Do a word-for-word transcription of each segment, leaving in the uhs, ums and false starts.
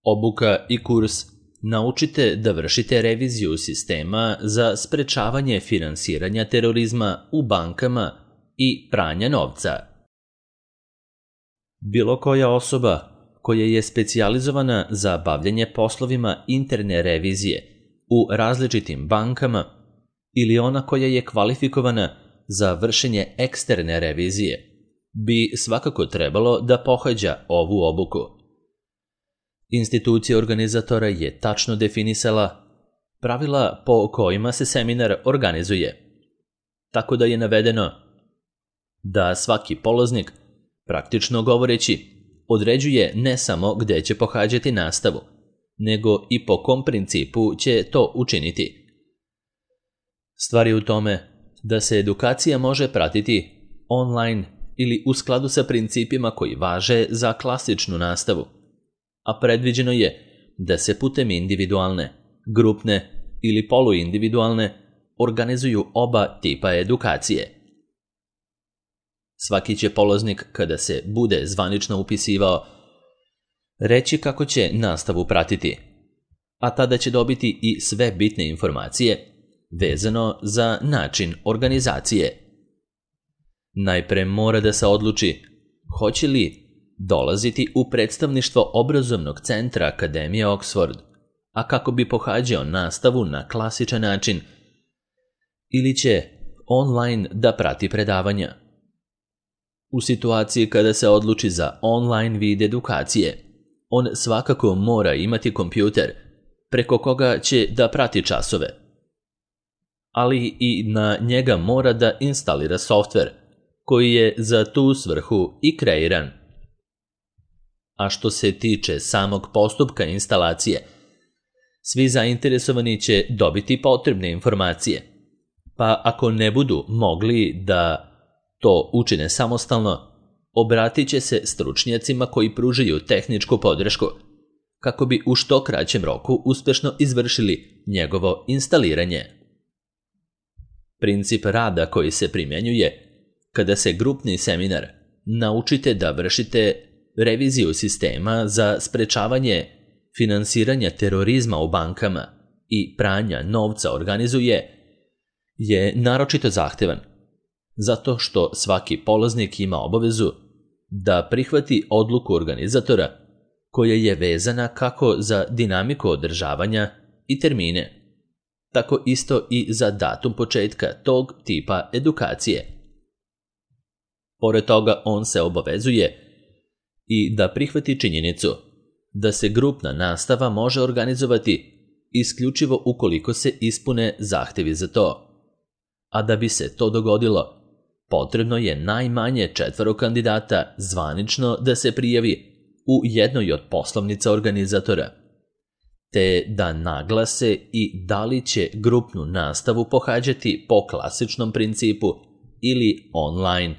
Obuka i kurs Naučite da vršite reviziju sistema za sprečavanje finansiranja terorizma u bankama i pranja novca. Bilo koja osoba koja je specijalizovana za bavljanje poslovima interne revizije u različitim bankama ili ona koja je kvalifikovana za vršenje eksterne revizije bi svakako trebalo da pohađa ovu obuku. Institucija organizatora je tačno definisala pravila po kojima se seminar organizuje, tako da je navedeno da svaki polaznik, praktično govoreći, određuje ne samo gde će pohađati nastavu, nego i po kom principu će to učiniti. Stvar je u tome da se edukacija može pratiti online ili u skladu sa principima koji važe za klasičnu nastavu, a predviđeno je da se putem individualne, grupne ili poluindividualne organizuju oba tipa edukacije. Svaki će polaznik, kada se bude zvanično upisivao, reći kako će nastavu pratiti, a tada će dobiti i sve bitne informacije vezano za način organizacije. Najpre mora da se odluči hoće li dolaziti u predstavništvo obrazovnog centra Akademije Oxford, a kako bi pohađao nastavu na klasičan način, ili će online da prati predavanja. U situaciji kada se odluči za online vid edukacije, on svakako mora imati kompjuter preko koga će da prati časove, ali i na njega mora da instalira softver koji je za tu svrhu i kreiran. A što se tiče samog postupka instalacije, svi zainteresovani će dobiti potrebne informacije, pa ako ne budu mogli da to učine samostalno, obratit će se stručnjacima koji pružaju tehničku podršku, kako bi u što kraćem roku uspešno izvršili njegovo instaliranje. Princip rada koji se primjenjuje kada se grupni seminar Naučite da vršite reviziju sistema za sprečavanje finansiranja terorizma u bankama i pranja novca organizuje, je naročito zahtevan, zato što svaki polaznik ima obavezu da prihvati odluku organizatora koja je vezana kako za dinamiku održavanja i termine, tako isto i za datum početka tog tipa edukacije. Pored toga, on se obavezuje i da prihvati činjenicu da se grupna nastava može organizovati isključivo ukoliko se ispune zahtevi za to, a da bi se to dogodilo, potrebno je najmanje četvoro kandidata zvanično da se prijavi u jednoj od poslovnica organizatora, te da naglase i da li će grupnu nastavu pohađati po klasičnom principu ili online.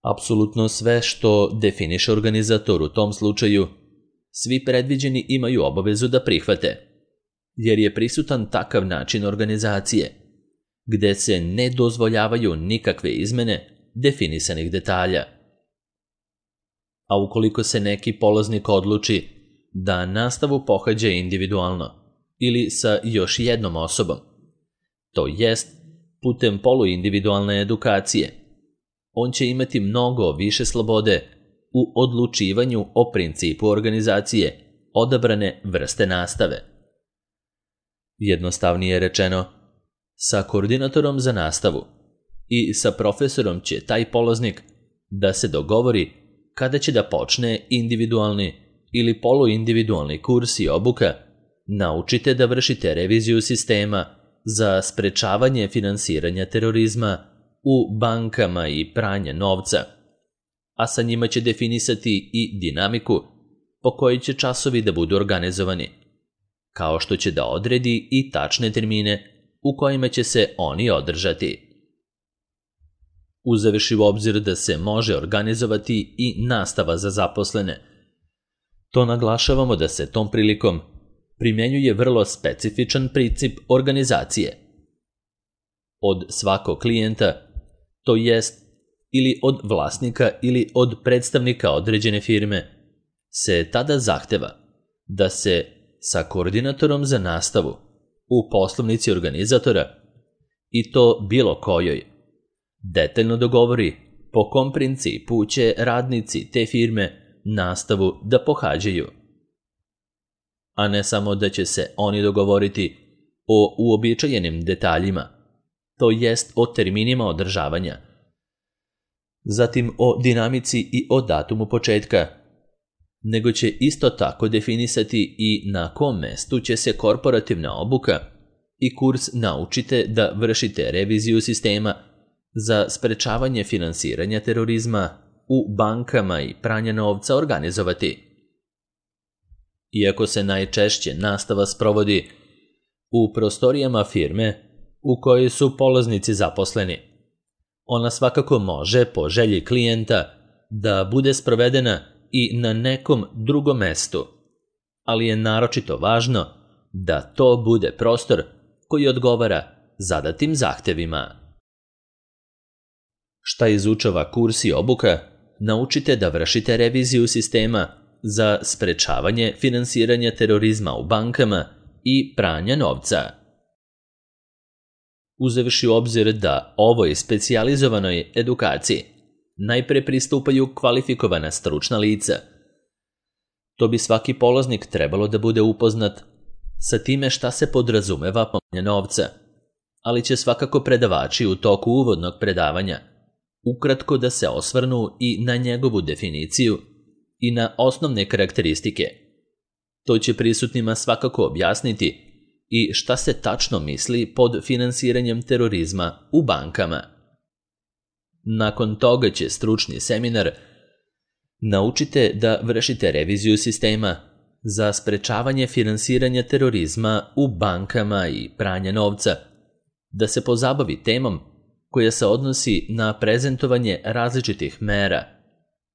Apsolutno sve što definiše organizator u tom slučaju, svi predviđeni imaju obavezu da prihvate, jer je prisutan takav način organizacije, gde se ne dozvoljavaju nikakve izmene definisanih detalja. A ukoliko se neki polaznik odluči da nastavu pohađa individualno ili sa još jednom osobom, to jest putem poluindividualne edukacije, on će imati mnogo više slobode u odlučivanju o principu organizacije odabrane vrste nastave. Jednostavnije rečeno, sa koordinatorom za nastavu i sa profesorom će taj polaznik da se dogovori kada će da počne individualni ili poluindividualni kurs i obuka Naučite da vršite reviziju sistema za sprečavanje finansiranja terorizma u bankama i pranja novca, a sa njima će definisati i dinamiku po kojoj će časovi da budu organizovani, kao što će da odredi i tačne termine u kojima će se oni održati. Uzevši u obzir da se može organizovati i nastava za zaposlene, to naglašavamo da se tom prilikom primjenjuje vrlo specifičan princip organizacije. Od svakog klijenta, to jest ili od vlasnika ili od predstavnika određene firme, se tada zahteva da se sa koordinatorom za nastavu u poslovnici organizatora, i to bilo kojoj, detaljno dogovori po kom principu će radnici te firme nastavu da pohađaju, a ne samo da će se oni dogovoriti o uobičajenim detaljima, to jest o terminima održavanja, zatim o dinamici i o datumu početka, nego će isto tako definisati i na kom mestu će se korporativna obuka i kurs Naučite da vršite reviziju sistema za sprečavanje finansiranja terorizma u bankama i pranja novca organizovati. Iako se najčešće nastava sprovodi u prostorijama firme u kojoj su polaznici zaposleni, ona svakako može, po želji klijenta, da bude sprovedena i na nekom drugom mestu, ali je naročito važno da to bude prostor koji odgovara zadatim zahtevima. Šta izučava kurs i obuka? Naučite da vršite reviziju sistema za sprečavanje finansiranja terorizma u bankama i pranja novca. Uzevši u obzir da ovoj specijalizovanoj edukaciji najpre pristupaju kvalifikovana stručna lica, to bi svaki polaznik trebalo da bude upoznat sa time šta se podrazumeva pranje novca, ali će svakako predavači u toku uvodnog predavanja ukratko da se osvrnu i na njegovu definiciju i na osnovne karakteristike. To će prisutnima svakako objasniti i šta se tačno misli pod finansiranjem terorizma u bankama. Nakon toga će stručni seminar Naučite da vršite reviziju sistema za sprečavanje finansiranja terorizma u bankama i pranja novca, da se pozabavi temom koja se odnosi na prezentovanje različitih mera,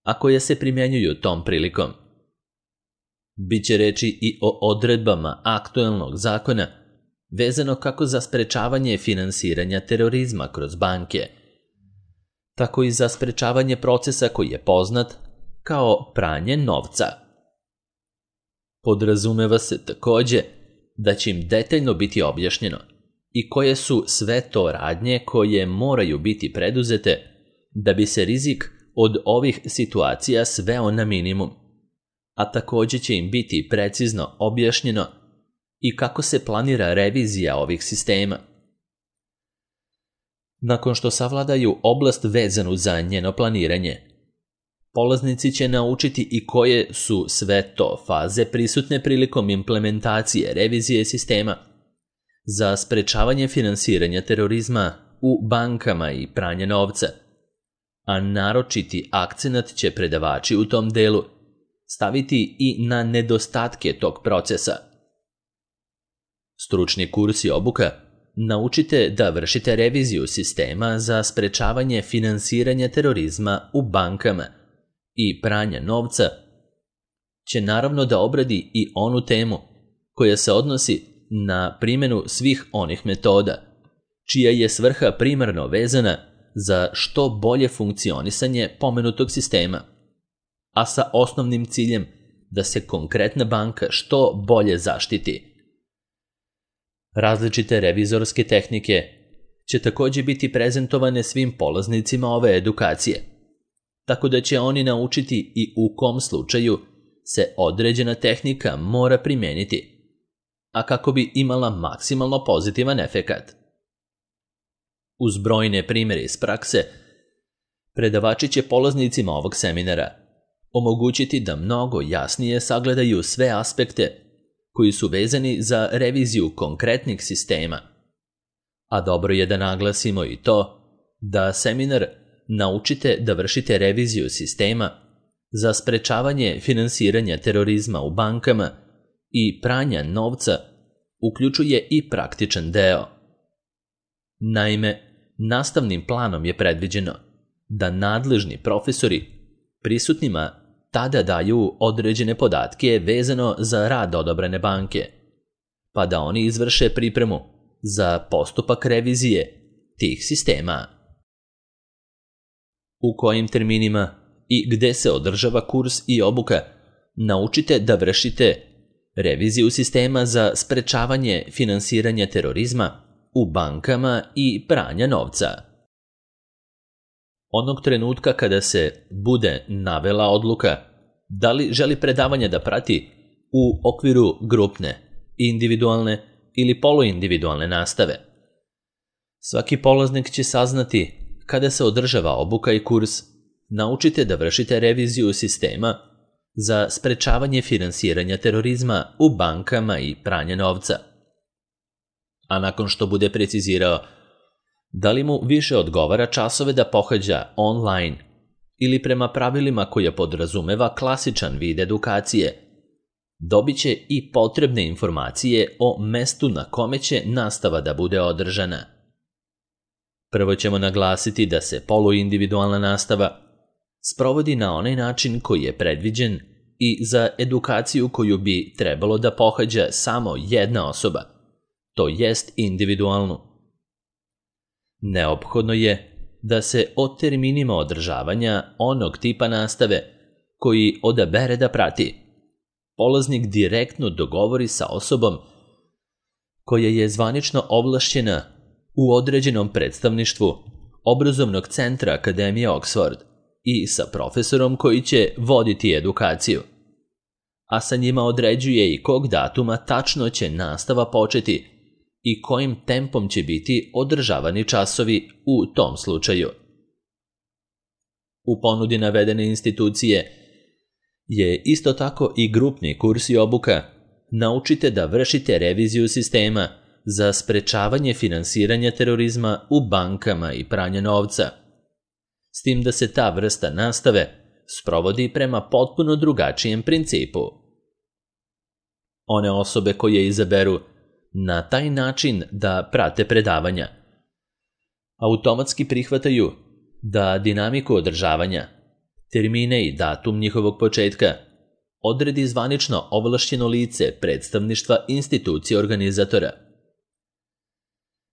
a koje se primjenjuju tom prilikom. Biće reči i o odredbama aktuelnog zakona vezano kako za sprečavanje finansiranja terorizma kroz banke, tako i za sprečavanje procesa koji je poznat kao pranje novca. Podrazumeva se takođe da će im detaljno biti objašnjeno i koje su sve to radnje koje moraju biti preduzete da bi se rizik od ovih situacija sveo na minimum, a takođe će im biti precizno objašnjeno i kako se planira revizija ovih sistema. Nakon što savladaju oblast vezanu za njeno planiranje, polaznici će naučiti i koje su sve to faze prisutne prilikom implementacije revizije sistema za sprečavanje finansiranja terorizma u bankama i pranje novca, a naročiti akcenat će predavači u tom delu staviti i na nedostatke tog procesa. Stručni kurs i obuka Naučite da vršite reviziju sistema za sprečavanje finansiranja terorizma u bankama i pranja novca će naravno da obradi i onu temu koja se odnosi na primjenu svih onih metoda, čija je svrha primarno vezana za što bolje funkcionisanje pomenutog sistema, a sa osnovnim ciljem da se konkretna banka što bolje zaštiti. Različite revizorske tehnike će takođe biti prezentovane svim polaznicima ove edukacije, tako da će oni naučiti i u kom slučaju se određena tehnika mora primeniti, a kako bi imala maksimalno pozitivan efekat. Uz brojne primjere iz prakse, predavači će polaznicima ovog seminara omogućiti da mnogo jasnije sagledaju sve aspekte koji su vezani za reviziju konkretnih sistema. A dobro je da naglasimo i to da seminar Naučite da vršite reviziju sistema za sprečavanje finansiranja terorizma u bankama i pranja novca uključuje i praktičan deo. Naime, nastavnim planom je predviđeno da nadležni profesori prisutnima tada daju određene podatke vezano za rad odabrane banke, pa da oni izvrše pripremu za postupak revizije tih sistema. U kojim terminima i gde se održava kurs i obuka naučite da vršite reviziju sistema za sprečavanje finansiranja terorizma u bankama i pranja novca. Onog trenutka kada se bude navela odluka da li želi predavanje da prati u okviru grupne, individualne ili poluindividualne nastave, svaki polaznik će saznati kada se održava obuka i kurs, naučite da vršite reviziju sistema za sprečavanje finansiranja terorizma u bankama i pranja novca. A nakon što bude precizirao da li mu više odgovara časove da pohađa online ili prema pravilima koje podrazumeva klasičan vid edukacije, dobit će i potrebne informacije o mestu na kome će nastava da bude održana. Prvo ćemo naglasiti da se poluindividualna nastava sprovodi na onaj način koji je predviđen i za edukaciju koju bi trebalo da pohađa samo jedna osoba, to jest individualnu. Neophodno je da se o terminima održavanja onog tipa nastave koji odabere da prati, polaznik direktno dogovori sa osobom koja je zvanično ovlašćena u određenom predstavništvu obrazovnog centra Akademije Oxford i sa profesorom koji će voditi edukaciju, a sa njima određuje i kog datuma tačno će nastava početi i kojim tempom će biti održavani časovi u tom slučaju. U ponudi navedene institucije je isto tako i grupni kurs i obuka naučite da vršite reviziju sistema za sprečavanje finansiranja terorizma u bankama i pranja novca, s tim da se ta vrsta nastave sprovodi prema potpuno drugačijem principu. One osobe koje izaberu na taj način da prate predavanja automatski prihvataju da dinamiku održavanja, termine i datum njihovog početka odredi zvanično ovlašćeno lice predstavništva institucije organizatora.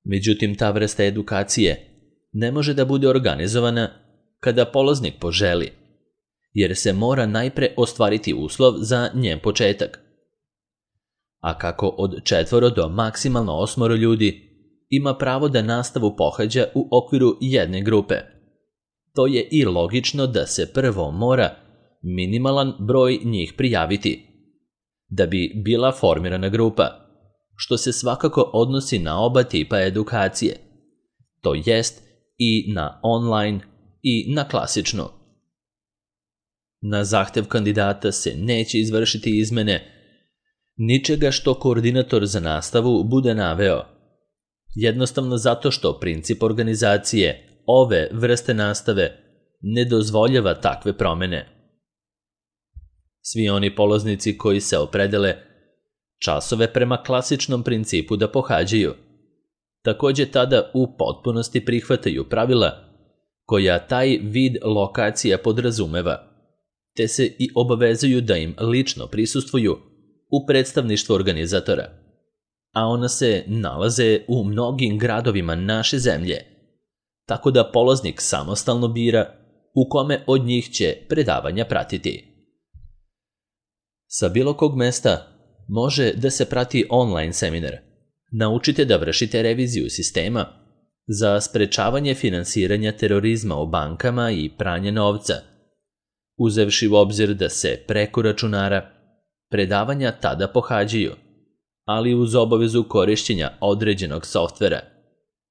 Međutim, ta vrsta edukacije ne može da bude organizovana kada polaznik poželi, jer se mora najpre ostvariti uslov za njen početak. A kako od četvoro do maksimalno osmoro ljudi ima pravo da nastavu pohađa u okviru jedne grupe, to je i logično da se prvo mora minimalan broj njih prijaviti, da bi bila formirana grupa, što se svakako odnosi na oba tipa edukacije, to jest i na online i na klasičnu. Na zahtev kandidata se neće izvršiti izmene ničega što koordinator za nastavu bude naveo, jednostavno zato što princip organizacije ove vrste nastave ne dozvoljava takve promene. Svi oni polaznici koji se opredele časove prema klasičnom principu da pohađaju, takođe tada u potpunosti prihvataju pravila koja taj vid lokacija podrazumeva, te se i obavezuju da im lično prisustvuju u predstavništvu organizatora, a ona se nalaze u mnogim gradovima naše zemlje, tako da polaznik samostalno bira u kome od njih će predavanja pratiti. Sa bilo kog mesta može da se prati online seminar. Naučite da vršite reviziju sistema za sprečavanje finansiranja terorizma u bankama i pranje novca, uzevši u obzir da se preko računara predavanja tada pohađaju, ali uz obavezu korišćenja određenog softvera,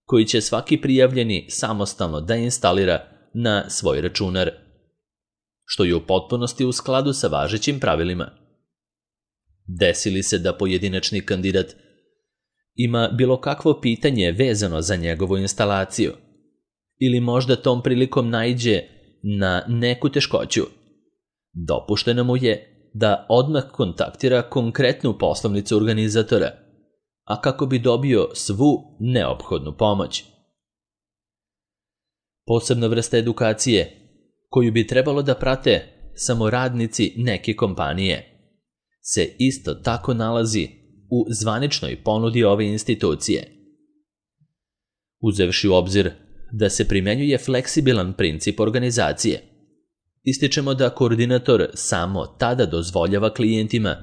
koji će svaki prijavljeni samostalno da instalira na svoj računar, što je u potpunosti u skladu sa važećim pravilima. Desi li se da pojedinačni kandidat ima bilo kakvo pitanje vezano za njegovu instalaciju, ili možda tom prilikom naiđe na neku teškoću, dopušteno mu je da odmah kontaktira konkretnu poslovnicu organizatora, a kako bi dobio svu neophodnu pomoć. Posebna vrsta edukacije, koju bi trebalo da prate samo radnici neke kompanije, se isto tako nalazi u zvaničnoj ponudi ove institucije. Uzevši u obzir da se primenjuje fleksibilan princip organizacije, ističemo da koordinator samo tada dozvoljava klijentima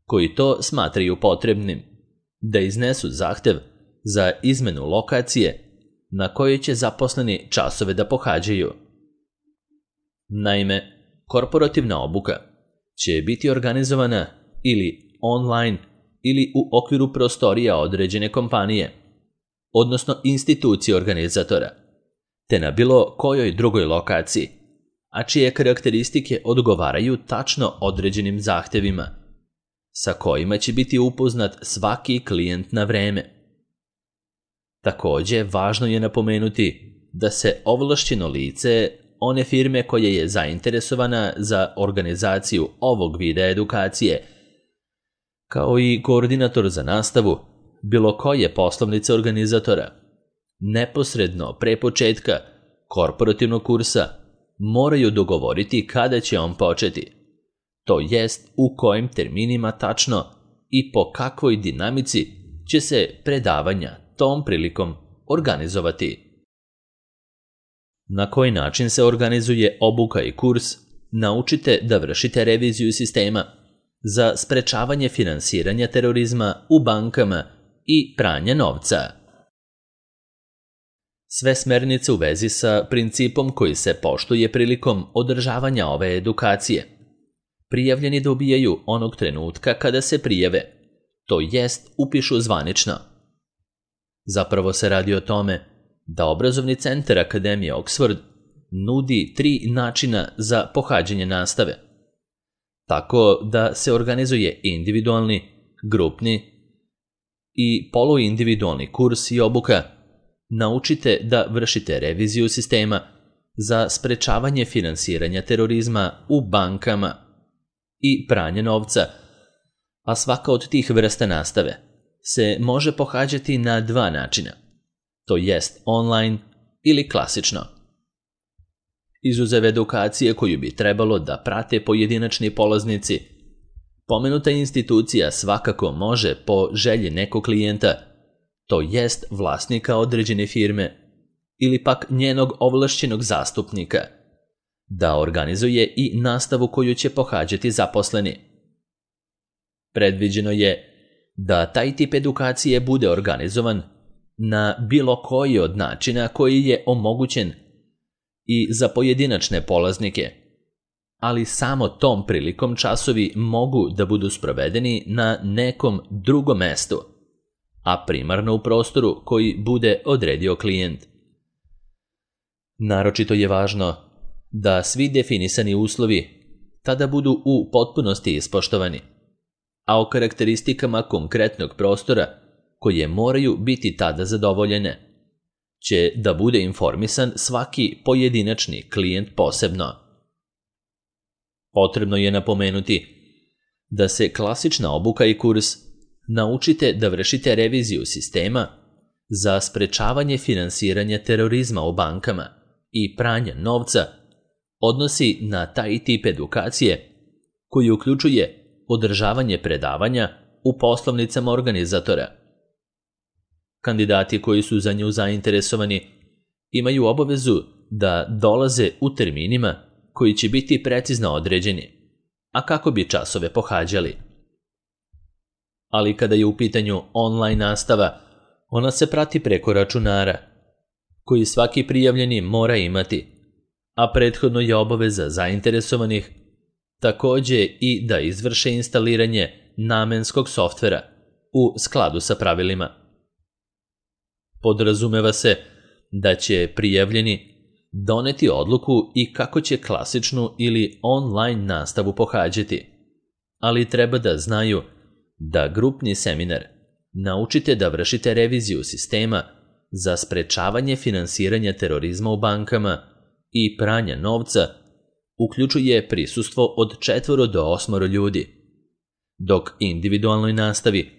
koji to smatraju potrebnim da iznesu zahtev za izmenu lokacije na kojoj će zaposleni časove da pohađaju. Naime, korporativna obuka će biti organizovana ili online ili u okviru prostorija određene kompanije, odnosno institucije organizatora, te na bilo kojoj drugoj lokaciji, a čije karakteristike odgovaraju tačno određenim zahtevima, sa kojima će biti upoznat svaki klijent na vreme. Također, važno je napomenuti da se ovlašćeno lice one firme koja je zainteresovana za organizaciju ovog vida edukacije, kao i koordinator za nastavu bilo koje poslovnice organizatora, neposredno pre početka korporativnog kursa moraju dogovoriti kada će on početi, to jest u kojim terminima tačno i po kakvoj dinamici će se predavanja tom prilikom organizovati. Na koji način se organizuje obuka i kurs, naučite da vršite reviziju sistema za sprečavanje finansiranja terorizma u bankama i pranja novca. Sve smernice u vezi sa principom koji se poštuje prilikom održavanja ove edukacije. Prijavljeni dobijaju onog trenutka kada se prijave, to jest upišu zvanično. Zapravo se radi o tome da obrazovni centar Akademije Oxford nudi tri načina za pohađanje nastave, tako da se organizuje individualni, grupni i poluindividualni kurs i obuka. Naučite da vršite reviziju sistema za sprečavanje finansiranja terorizma u bankama i pranje novca, a svaka od tih vrsta nastave se može pohađati na dva načina, to jest online ili klasično. Izuzev edukacije koju bi trebalo da prate pojedinačni polaznici, pomenuta institucija svakako može po želji nekog klijenta, to jest vlasnika određene firme ili pak njenog ovlašćenog zastupnika, da organizuje i nastavu koju će pohađati zaposleni. Predviđeno je da taj tip edukacije bude organizovan na bilo koji od načina koji je omogućen i za pojedinačne polaznike, ali samo tom prilikom časovi mogu da budu sprovedeni na nekom drugom mestu, a primarno u prostoru koji bude odredio klijent. Naročito je važno da svi definisani uslovi tada budu u potpunosti ispoštovani, a o karakteristikama konkretnog prostora koje moraju biti tada zadovoljene će da bude informisan svaki pojedinačni klijent posebno. Potrebno je napomenuti da se klasična obuka i kurs naučite da vršite reviziju sistema za sprečavanje finansiranja terorizma u bankama i pranja novca odnosi na taj tip edukacije koji uključuje održavanje predavanja u poslovnicama organizatora. Kandidati koji su za nju zainteresovani imaju obavezu da dolaze u terminima koji će biti precizno određeni, a kako bi časove pohađali. Ali kada je u pitanju online nastava, ona se prati preko računara, koji svaki prijavljeni mora imati, a prethodno je obaveza zainteresovanih također i da izvrše instaliranje namenskog softvera u skladu sa pravilima. Podrazumeva se da će prijavljeni doneti odluku i kako će klasičnu ili online nastavu pohađati, ali treba da znaju da grupni seminar naučite da vršite reviziju sistema za sprečavanje finansiranja terorizma u bankama i pranja novca uključuje prisustvo od četvoro do osmoro ljudi, dok individualnoj nastavi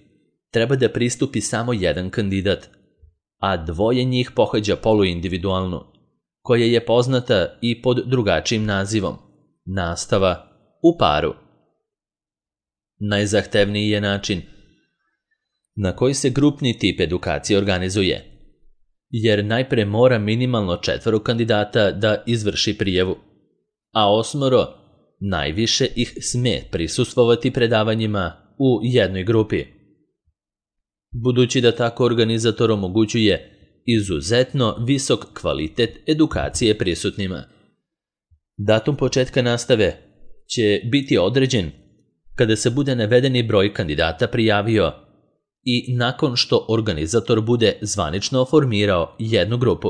treba da pristupi samo jedan kandidat, a dvoje njih pohađa poluindividualnu, koja je poznata i pod drugačijim nazivom, nastava u paru. Najzahtevniji je način na koji se grupni tip edukacije organizuje, jer najpre mora minimalno četvoro kandidata da izvrši prijavu, a osmoro najviše ih sme prisustvovati predavanjima u jednoj grupi. Budući da tako organizator omogućuje izuzetno visok kvalitet edukacije prisutnima. Datum početka nastave će biti određen kada se bude navedeni broj kandidata prijavio i nakon što organizator bude zvanično formirao jednu grupu.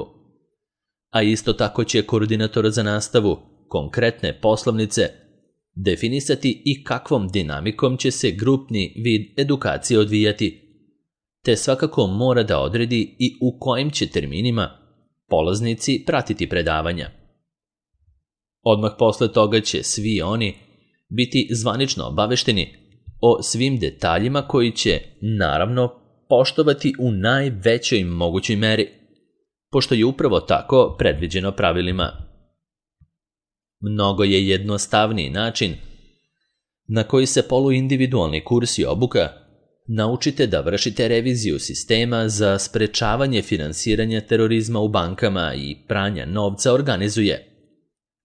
A isto tako će koordinator za nastavu konkretne poslovnice definisati i kakvom dinamikom će se grupni vid edukacije odvijati, te svakako mora da odredi i u kojim će terminima polaznici pratiti predavanja. Odmah posle toga će svi oni biti zvanično obavešteni o svim detaljima koji će, naravno, poštovati u najvećoj mogućoj meri, pošto je upravo tako predviđeno pravilima. Mnogo je jednostavniji način na koji se poluindividualni kurs i obuka naučite da vršite reviziju sistema za sprečavanje finansiranja terorizma u bankama i pranja novca organizuje,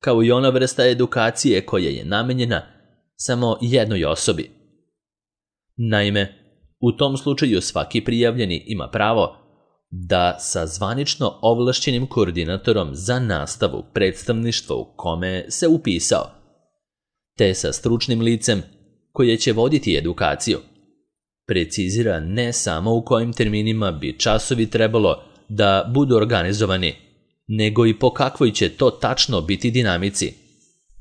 kao i ona vrsta edukacije koja je namenjena samo jednoj osobi. Naime, u tom slučaju svaki prijavljeni ima pravo da sa zvanično ovlašćenim koordinatorom za nastavu predstavništva u kome se upisao, te sa stručnim licem koje će voditi edukaciju, precizira ne samo u kojim terminima bi časovi trebalo da budu organizovani, nego i po kakvoj će to tačno biti dinamici,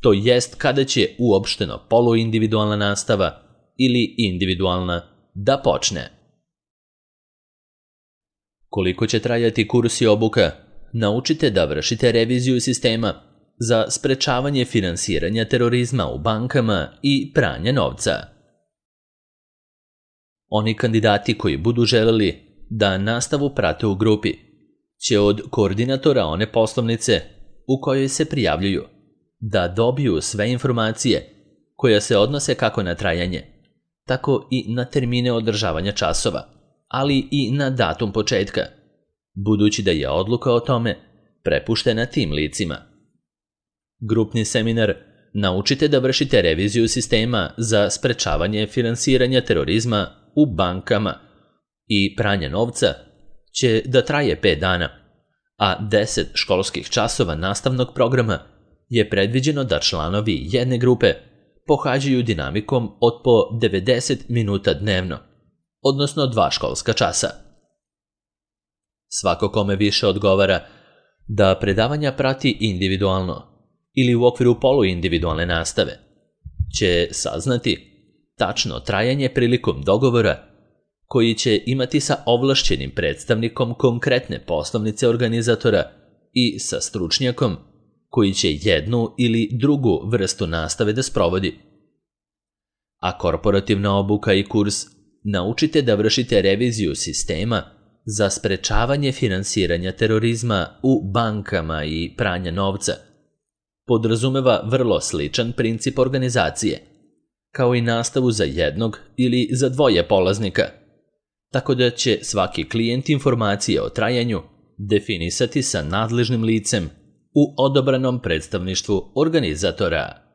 to jest kada će uopšteno poluindividualna nastava ili individualna da počne. Koliko će trajati kurs i obuka, naučite da vršite reviziju sistema za sprečavanje finansiranja terorizma u bankama i pranja novca. Oni kandidati koji budu želeli da nastavu prate u grupi će od koordinatora one poslovnice u kojoj se prijavljuju da dobiju sve informacije koje se odnose kako na trajanje, tako i na termine održavanja časova, ali i na datum početka, budući da je odluka o tome prepuštena tim licima. Grupni seminar Naučite da vršite reviziju sistema za sprečavanje finansiranja terorizma u bankama i pranja novca će da traje pet dana, a deset školskih časova nastavnog programa je predviđeno da članovi jedne grupe pohađaju dinamikom od po devedeset minuta dnevno, odnosno dva školska časa. Svako kome više odgovara da predavanja prati individualno ili u okviru poluindividualne nastave, će saznati tačno trajanje prilikom dogovora koji će imati sa ovlašćenim predstavnikom konkretne poslovnice organizatora i sa stručnjakom koji će jednu ili drugu vrstu nastave da sprovodi. A korporativna obuka i kurs Naučite da vršite reviziju sistema za sprečavanje finansiranja terorizma u bankama i pranja novca podrazumeva vrlo sličan princip organizacije, kao i nastavu za jednog ili za dvoje polaznika, tako da će svaki klijent informacije o trajanju definisati sa nadležnim licem u odabranom predstavništvu organizatora.